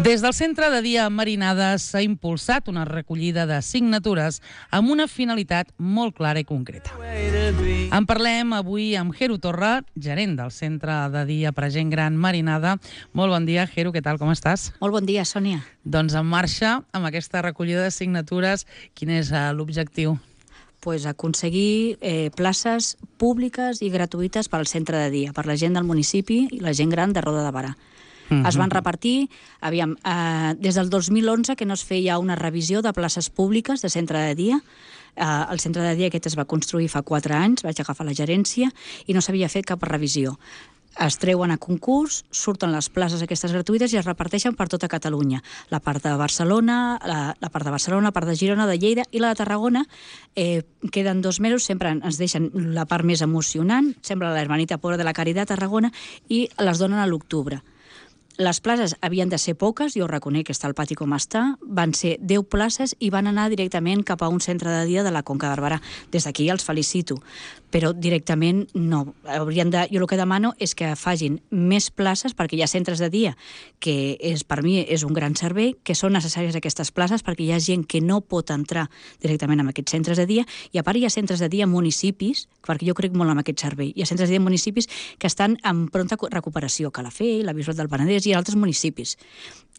Des del Centre de Dia Marinada s'ha impulsat una recollida de signatures amb una finalitat molt clara i concreta. En parlem avui amb Jero Torra, gerent del Centre de Dia per a Gent Gran Marinada. Molt bon dia, Jero, què tal, com estàs? Molt bon dia, Sònia. Doncs en marxa amb aquesta recollida de signatures, quin és l'objectiu? Pues aconseguir places públiques i gratuïtes per al centre de dia, per la gent del municipi i la gent gran de Roda de Barà. Es van repartir, des del 2011 que no es feia una revisió de places públiques de centre de dia. El centre de dia aquest es va construir fa 4 anys, vaig agafar la gerència i no s'havia fet cap revisió. Es treuen a concurs, surten les places aquestes gratuïtes i es reparteixen per tota Catalunya. La part de Barcelona, la part de Girona, de Lleida i la de Tarragona. Queden 2 mesos, sempre ens deixen la part més emocionant, sembla la Hermanita Pobra de la Caritat, Tarragona, i les donen a l'octubre. Les places havien de ser poques, jo reconec que està el pati com està, van ser 10 places i van anar directament cap a un centre de dia de la Conca de Barberà. Des d'aquí els felicito, però directament no. Jo el que demano és que facin més places, perquè hi ha centres de dia, que per mi és un gran servei, que són necessàries aquestes places perquè hi ha gent que no pot entrar directament en aquests centres de dia, i a part hi ha centres de dia en municipis, perquè jo crec molt en aquest servei, hi ha centres de dia en municipis que estan en pronta recuperació, Calafell, la Bisbal del Penedès i altres municipis.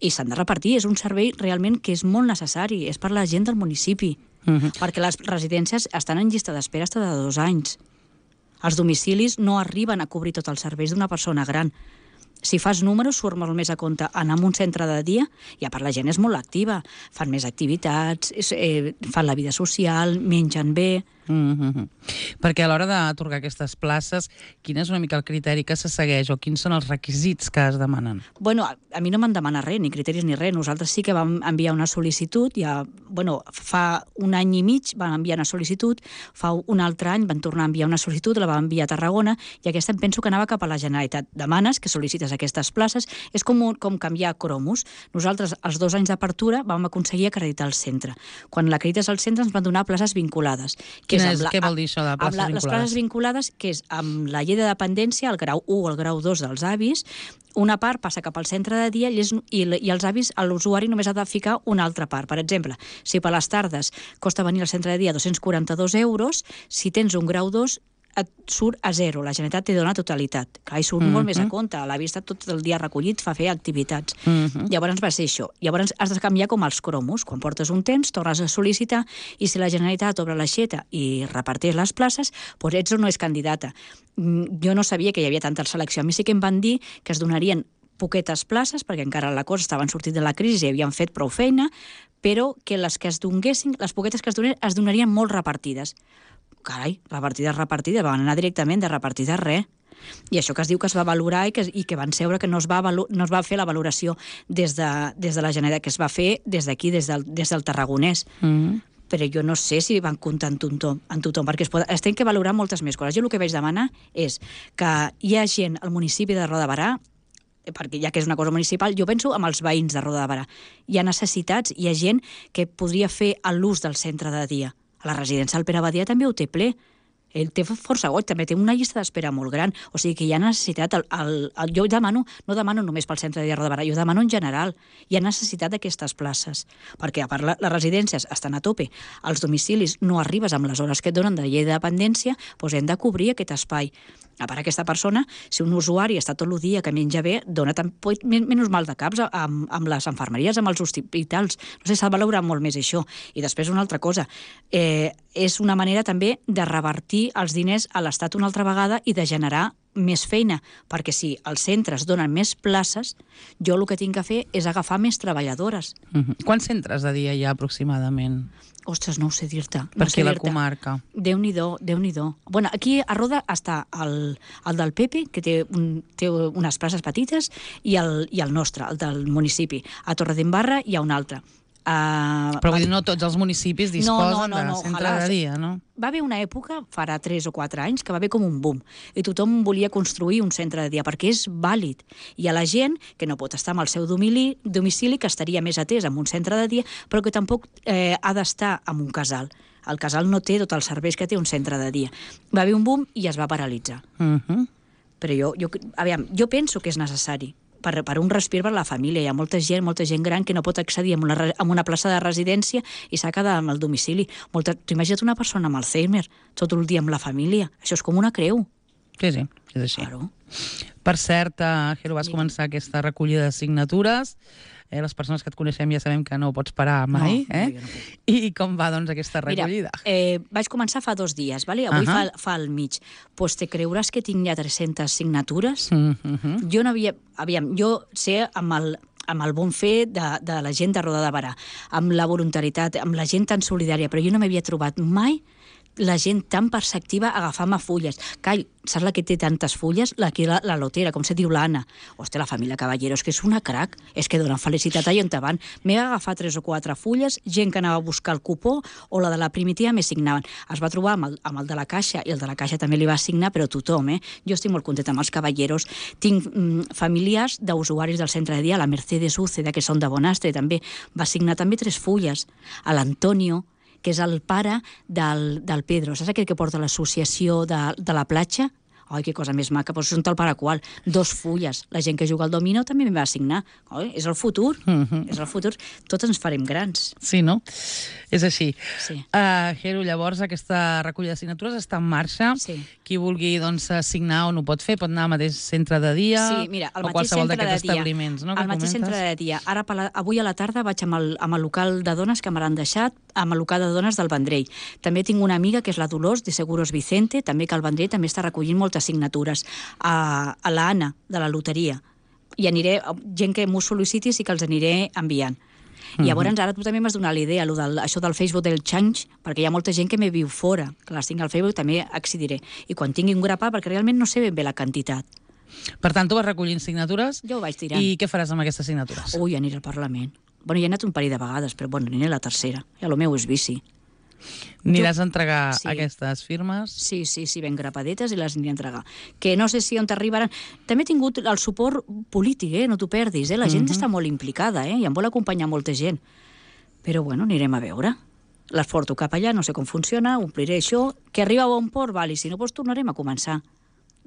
I s'han de repartir, és un servei realment que és molt necessari, és per la gent del municipi, perquè les residències estan en llista d'espera fins de 2 anys. Els domicilis no arriben a cobrir tots els serveis d'una persona gran. Si fas números, surt molt més a compte anar a un centre de dia, i a part la gent és molt activa, fan més activitats, fan la vida social, mengen bé. Perquè a l'hora d'atorgar aquestes places, quin és una mica el criteri que se segueix o quins són els requisits que es demanen? Bueno, a mi no m'han demanat res, ni criteris ni res. Nosaltres sí que vam enviar una sol·licitud, fa 1 any i mig vam enviar una sol·licitud, fa un altre any van tornar a enviar una sol·licitud, la vam enviar a Tarragona, i aquesta em penso que anava cap a la Generalitat. Demanes que sol·licites aquestes places, és com canviar cromos. Nosaltres, els 2 anys d'apertura, vam aconseguir acreditar el centre. Quan l'acredites al centre ens van donar places vinculades. Què vol dir això de places vinculades? Les places vinculades, que és amb la llei de dependència, el grau 1 o el grau 2 dels avis, una part passa cap al centre de dia i els avis, l'usuari només ha de ficar una altra part. Per exemple, si per les tardes costa venir al centre de dia 242 euros, si tens un grau 2 et surt a 0, la Generalitat te dona totalitat. Clar, hi surt molt més a compte, l'avi està tot el dia recollit, fa fer activitats. Llavors va ser això. Llavors has de canviar com els cromos. Quan portes un temps, tornes a sol·licitar, i si la Generalitat obre l'aixeta i reparteix les places, doncs ets o no és candidata. Jo no sabia que hi havia tanta selecció. A mi sí que em van dir que es donarien poquetes places, perquè encara la cosa estaven sortint de la crisi i havien fet prou feina, però que les que es donessin, les poquetes que es donarien molt repartides. Carai, repartides, van anar directament de repartides res. I això que es diu que es va valorar i que van seure que no es va fer la valoració des de la Generalitat, que es va fer des d'aquí, des del Tarragonès. Però jo no sé si van comptar en tothom, perquè es tenen que valorar moltes més coses. Jo el que vaig demanar és que hi ha gent al municipi de Roda de Barà, perquè ja que és una cosa municipal, jo penso amb els veïns de Roda de Barà. Hi ha necessitats, hi ha gent que podria fer l'ús del centre de dia. A la residència del Pere Badia també ho té ple. Ell té força goig, també té una llista d'espera molt gran. O sigui que hi ha necessitat. Jo no demano només pel centre de dia de Roda de Barà, jo demano en general. Hi ha necessitat d'aquestes places. Perquè a part les residències estan a tope, els domicilis no arribes amb les hores que et donen de llei de dependència, doncs hem de cobrir aquest espai. A part, aquesta persona, si un usuari està tot el dia que menja bé, dona menys mal de caps amb les infermeries, amb els hospitals. No sé, s'ha de valorar molt més això. I després una altra cosa, és una manera també de revertir els diners a l'Estat una altra vegada i de generar més feina, perquè si els centres donen més places, jo el que tinc que fer és agafar més treballadores. Quants centres de dia hi ha aproximadament? Ostres, no ho sé dir-te. Per aquí la comarca. Déu-n'hi-do. Bueno, aquí a Roda està el del Pepe, que té unes places petites, i el nostre, el del municipi. A Torredembarra hi ha un altre. Però vull dir, no tots els municipis disposen de centre de dia, no? Va haver una època, farà 3 o 4 anys, que va haver com un boom, i tothom volia construir un centre de dia, perquè és vàlid. Hi ha la gent que no pot estar amb el seu domicili, que estaria més atès en un centre de dia, però que tampoc ha d'estar en un casal. El casal no té tots els serveis que té un centre de dia. Va haver un boom i es va paralitzar. Però jo penso que és necessari. per un respir per la família. Hi ha molta gent gran que no pot accedir a una plaça de residència i s'ha quedat amb el domicili. T'imagina't una persona amb Alzheimer tot el dia amb la família. Això és com una creu. Sí, és així. Claro. Per cert, Jero, vas començar aquesta recollida de signatures. Les persones que et coneixem ja sabem que no pots parar mai. No, jo no puc. I com va, doncs, aquesta recollida? Mira, vaig començar fa 2 dies, vale? Avui fa el mig. Pues te creuràs que tinc ja 300 signatures? Jo no havia... Aviam, jo sé amb el bon fer de la gent de Roda de Berà, amb la voluntaritat, amb la gent tan solidària, però jo no m'havia trobat mai la gent tan perceptiva agafant-me fulles. Call, saps la que té tantes fulles? La lotera, com se diu l'Anna. Hòstia, la família Caballero, és que és una crac, és que donen felicitat allà on te van. M'he agafat 3 o 4 fulles, gent que anava a buscar el cupó, o la de la primitiva m'he signaven. Es va trobar amb el de la Caixa, i el de la Caixa també li va signar, però tothom, Jo estic molt contenta amb els Caballeros. Tinc familiars d'usuaris del centre de dia, la Mercedes Úceda, que són de Bonastre, també va signar també 3 fulles. A l'Antonio, que és el pare del Pedro. Saps aquell que porta l'associació de la platja? Ai, que cosa més maca, però són tal per a qual. 2 fulles. La gent que juga al dominó també m'hi va assignar. És el futur. És el futur. Tots ens farem grans. Sí, no? És així. Sí. Jero, llavors, aquesta recollida de signatures està en marxa. Sí. Qui vulgui signar on ho pot fer, pot anar al mateix centre de dia o qualsevol d'aquests establiments, no? Al mateix centre de dia. Avui a la tarda vaig amb el local de dones que m'han deixat, amb el local de dones del Vendrell. També tinc una amiga, que és la Dolors, de Seguros Vicente, també que al Vendrell també està recollint moltes signatures. A l'Anna, de la loteria. I aniré, gent que m'ho sol·liciti sí que els aniré enviant. I llavors ara tu també m'has donat la idea, això del Facebook del Change, perquè hi ha molta gent que me viu fora, que les tinc al Facebook, també accediré. I quan tingui un grapà, perquè realment no sé ben bé la quantitat. Per tant, tu vas recollint signatures. Jo ho vaig tirant. I què faràs amb aquestes signatures? Ui, aniré al Parlament. Bueno, ja he anat un parell de vegades, però bueno, aniré a la tercera. Ja el meu és bici. Aniràs a entregar aquestes firmes? Sí, ben grapadetes i les aniré a entregar. Que no sé si on t'arribaran... També he tingut el suport polític, no t'ho perdis, La gent està molt implicada, i em vol acompanyar molta gent. Però bueno, anirem a veure. Les porto cap allà, no sé com funciona, ompliré això, que arriba a bon port, i si no, doncs tornarem a començar.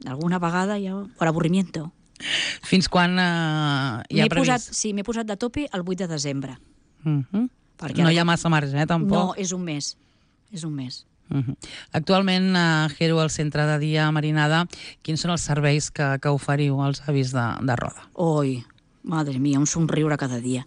Alguna vegada ja, per avorrimiento. Fins quan hi ha previst? M'he posat de tope el 8 de desembre. No hi ha massa marge, tampoc? No, és un mes. És un mes. Actualment, Jero, al centre de dia Marinada, quins són els serveis que oferiu als avis de Roda? Oi, madre mia, un somriure cada dia.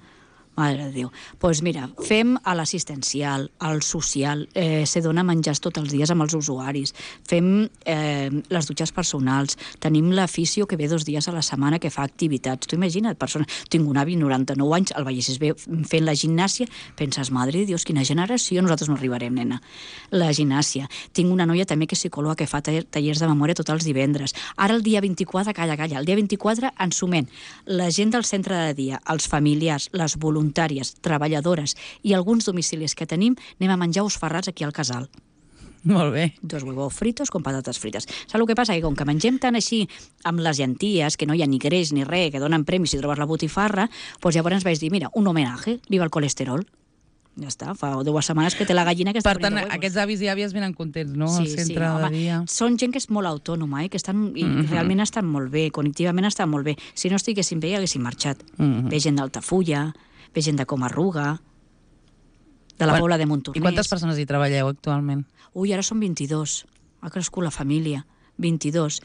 Mare de Déu. Doncs mira, fem a l'assistencial, al social, se dona menjars tots els dies amb els usuaris, fem les dutxes personals, tenim l'aficio que ve 2 dies a la setmana que fa activitats. Tu imagina't, tinc un avi 99 anys, el veiessis bé fent la gimnàsia, penses, madre de Dios, quina generació, nosaltres no arribarem, nena. La gimnàsia. Tinc una noia també que és psicòloga que fa tallers de memòria tots els divendres. Ara el dia 24, calla, el dia 24 ens sumem la gent del centre de dia, els familiars, les voluntàries, treballadores i alguns domicilis que tenim, anem a menjar ous ferrats aquí al casal. Molt bé. 2 huevos fritos con patates frites. Saps el que passa? Que com que mengem tant així amb les llenties, que no hi ha ni greix ni res, que donen premis si trobes la botifarra, doncs llavors vaig dir, mira, un homenatge, viva el colesterol. Ja està, fa 2 setmanes que té la gallina que està per tant, aquests avis i àvies venen contents, no? Sí, al centre de dia. Són gent que és molt autònoma, que estan, i realment estan molt bé, cognitivament estan molt bé. Si no estiguessin bé, haguessin marxat. Ve gent d'Altafulla, ve gent de Comarruga, de la Pobla de Montornès. I quantes persones hi treballeu actualment? Ui, ara són 22. Ha crescut la família. 22.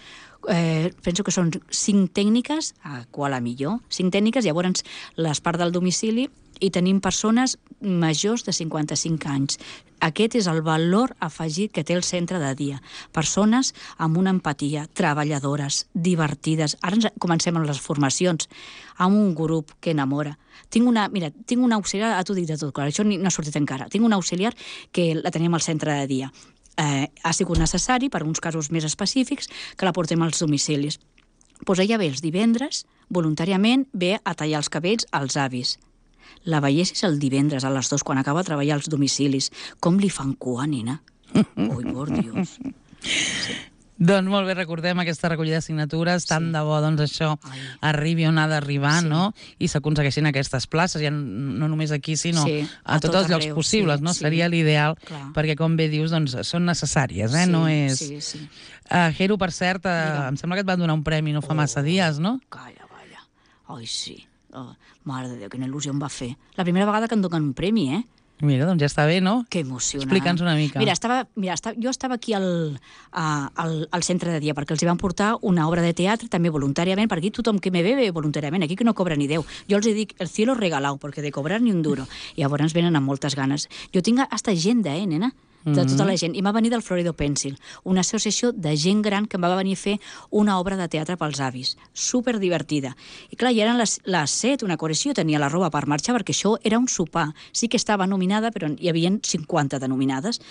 Penso que són 5 tècniques, a qual a millor, 5 tècniques, llavors les part del domicili, i tenim persones majors de 55 anys. Aquest és el valor afegit que té el centre de dia. Persones amb una empatia, treballadores, divertides. Ara comencem amb les formacions, amb un grup que enamora. Tinc una auxiliar, t'ho dic de tot clar, això no ha sortit encara. Tinc una auxiliar que la tenim al centre de dia. Ha sigut necessari, per uns casos més específics, que la portem als domicilis. Doncs ella ve els divendres, voluntàriament, ve a tallar els cabells als avis. La veiessis el divendres a les 2 quan acaba de treballar als domicilis. Com li fan cua, nena? Ui, por Dios. Sí. Doncs molt bé, recordem aquesta recollida de signatures, tant de bo, doncs això arribi on ha d'arribar, no? I s'aconsegueixin aquestes places, ja no només aquí, sinó a tots els llocs possibles, no? Seria l'ideal, perquè, com bé dius, doncs són necessàries, no és... Jero, per cert, em sembla que et van donar un premi no fa massa dies, no? Calla. Ai, sí. Oh, mare de Déu, quina il·lusió em va fer. La primera vegada que em donen un premi, eh? Mira, doncs ja està bé, no? Que emocionant. Explica'ns una mica. Mira, jo estava aquí al centre de dia perquè els hi van portar una obra de teatre també voluntàriament, perquè aquí tothom que me ve voluntàriament, aquí que no cobra ni 10. Jo els dic, el cielo regalado, perquè de cobrar ni un duro. I llavors venen amb moltes ganes. Jo tinc hasta agenda, nena? De tota la gent. I m'ha venit del Florido Pencil, una associació de gent gran que em va venir a fer una obra de teatre pels avis. Super divertida. I clar, ja eren les 7, una correcció, tenia la roba per marxar, perquè això era un sopar. Sí que estava nominada, però hi havia 50 de nominades.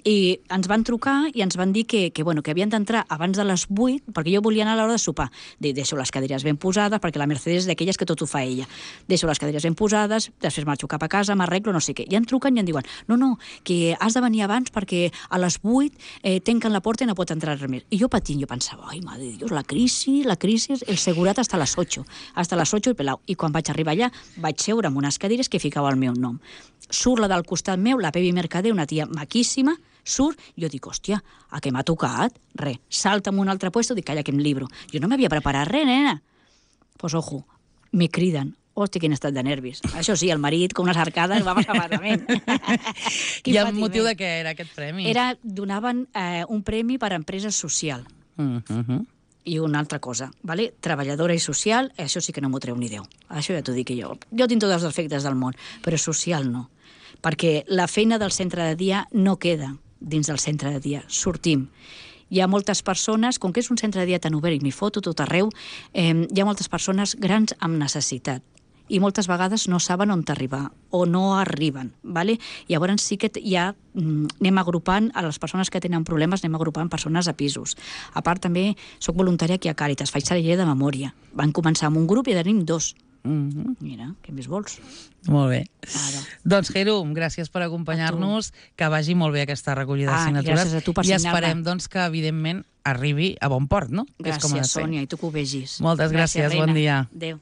I ens van trucar i ens van dir que havien d'entrar abans de les 8, perquè jo volia anar a l'hora de sopar. Deixo les cadires ben posades, perquè la Mercedes és d'aquelles que tot ho fa ella. Deixo les cadires ben posades, després marxo cap a casa, m'arreglo, no sé què. I em truquen i em diuen, no, que has de venir abans perquè a les 8 tanquen la porta i no pot entrar res més. I jo patint, jo pensava, ai, madre de Dios, la crisi, el segurat hasta las 8 el pelau. I quan vaig arribar allà, vaig seure amb unes cadires que ficava el meu nom. Surt la del costat meu, la Pepi Mercader, una tia maquíssima, surt, jo dic, hòstia, a què m'ha tocat? Res, salta en un altre puesto, dic, calla, que em libro. Jo no m'havia preparat res, nena. Pues ojo, me criden. Hòstia, quin estat de nervis. Això sí, el marit, com unes arcades, va passar malament. I el motiu de què era aquest premi? Donaven un premi per a empresa social. I una altra cosa, ¿vale? Treballadora i social, això sí que no m'ho treu ni Déu. Això ja t'ho dic jo. Jo tinc tots els defectes del món, però social no. Perquè la feina del centre de dia no queda dins del centre de dia. Sortim. Hi ha moltes persones, com que és un centre de dia tan obert i m'hi foto tot arreu, hi ha moltes persones grans amb necessitat. I moltes vegades no saben on arribar o no arriben, ¿vale? Llavors sí que ja anem agrupant a les persones que tenen problemes, anem agrupant persones a pisos. A part també soc voluntària aquí a Càritas, faig celler de memòria. Van començar amb un grup i tenim 2. Mira, què més vols? Molt bé. Doncs, Herum, gràcies per acompanyar-nos, que vagi molt bé aquesta recollida de signatures. Gràcies a tu per signar-la. I esperem doncs, que, evidentment, arribi a bon port, no? Gràcies, Sònia, i tu que ho vegis. Moltes gràcies, bon dia. Adéu.